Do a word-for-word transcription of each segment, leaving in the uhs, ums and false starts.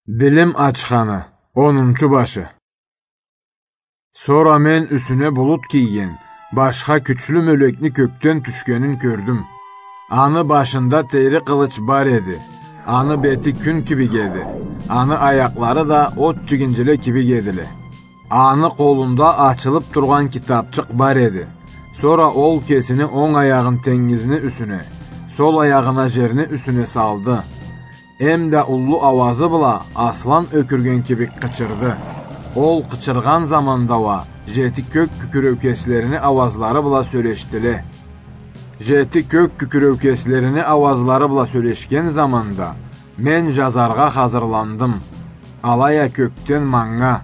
Билим ачханы, онунчу башы. Сора мен юсюне булут кийген башха кючлю мёлекни кёкден тюшгенин кёрдюм. Аны башында тери къылыч бар эди. Аны бети кюн кибик эди. Аны аякълары да от джигинжиле кибик эдиле. Аны къолунда ачылып тургъан китапчыкъ бар эди. Сора ол кесини онг аягъын тенгизни юсюне, сол аягъын а жерни юсюне салды. Эм да уллу ауазы бла аслан ёкюрген кибик къычырды. Ол къычыргъан заманда уа джети кёк кюкюреукеслерини ауазлары бла сёлешдиле. Джети кёк кюкюреукеслерини ауазлары бла сёлешген заманда мен джазаргъа хазырландым. Алай а кёкден манга: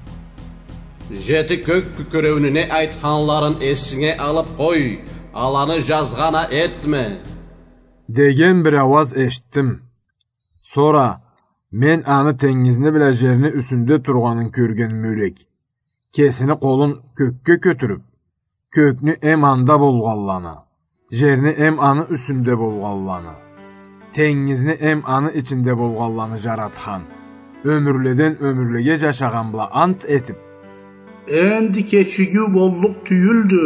«Джети кёк кюкюреуню не айтханларын эсинге алып къой, аланы джазгъан а этме», — деген бир ауаз эшитдим. Сора мен аны тенгизни бла джерни юсюнде тургъанын кёрген мёлек кесини къолун кёкге кётюрюп, кёкню эм анда болгъанланы, джерни эм аны юсюнде болгъанланы, тенгизни эм аны ичинде болгъанланы джаратхан, ёмюрледен ёмюрлеге джашагъан бла ант этип: «Энди кечигиу боллукъ тюйюлдю».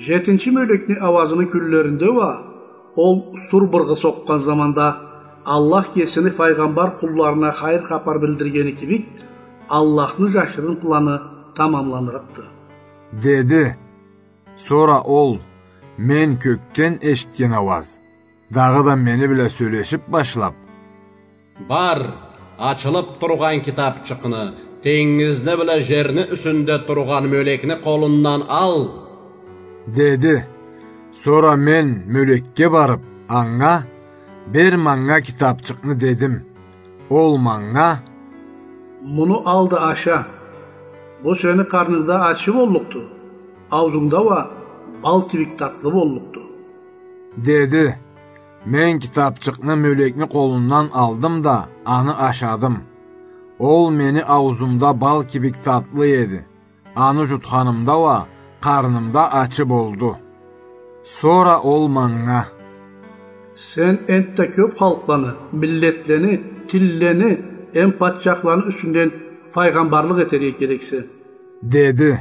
Джетинчи мёлекни ауазыны кюнлеринде уа, ол сур быргъы сокъгъан заманда, Аллах кесини файгъамбар къулларына хайыр хапар билдиргени кибик, Аллахны джашырын планы тамамланырыкъды, — деди. Сора ол мен кёкден эшитген ауаз дагъыда мени бла сёлешип башлап: «Бар, ачылып тургъан китапчыкъны тенгизни бла джерни юсюнде тургъан мёлекни къолундан ал», — деди. Сора мен мёлекге барып, анга: «Бер манга китапчыкъны», — дедим. Ол манга: «Муну ал да аша. Бу сени къарнынгда ачы боллукъду, ауузунгда уа бал кибик татлы боллукъду», — деди. Мен китапчыкъны мёлекни къолундан алдым да, аны ашадым. Ол мени ауузумда бал кибик татлы эди. Аны джутханымда уа къарнымда ачы болду. Сора ол манга: «Сен энтда кёп халкъланы, миллетлени, тиллени эм патчахланы юсюнден файгъамбарлыкъ этерге керексе», — деди.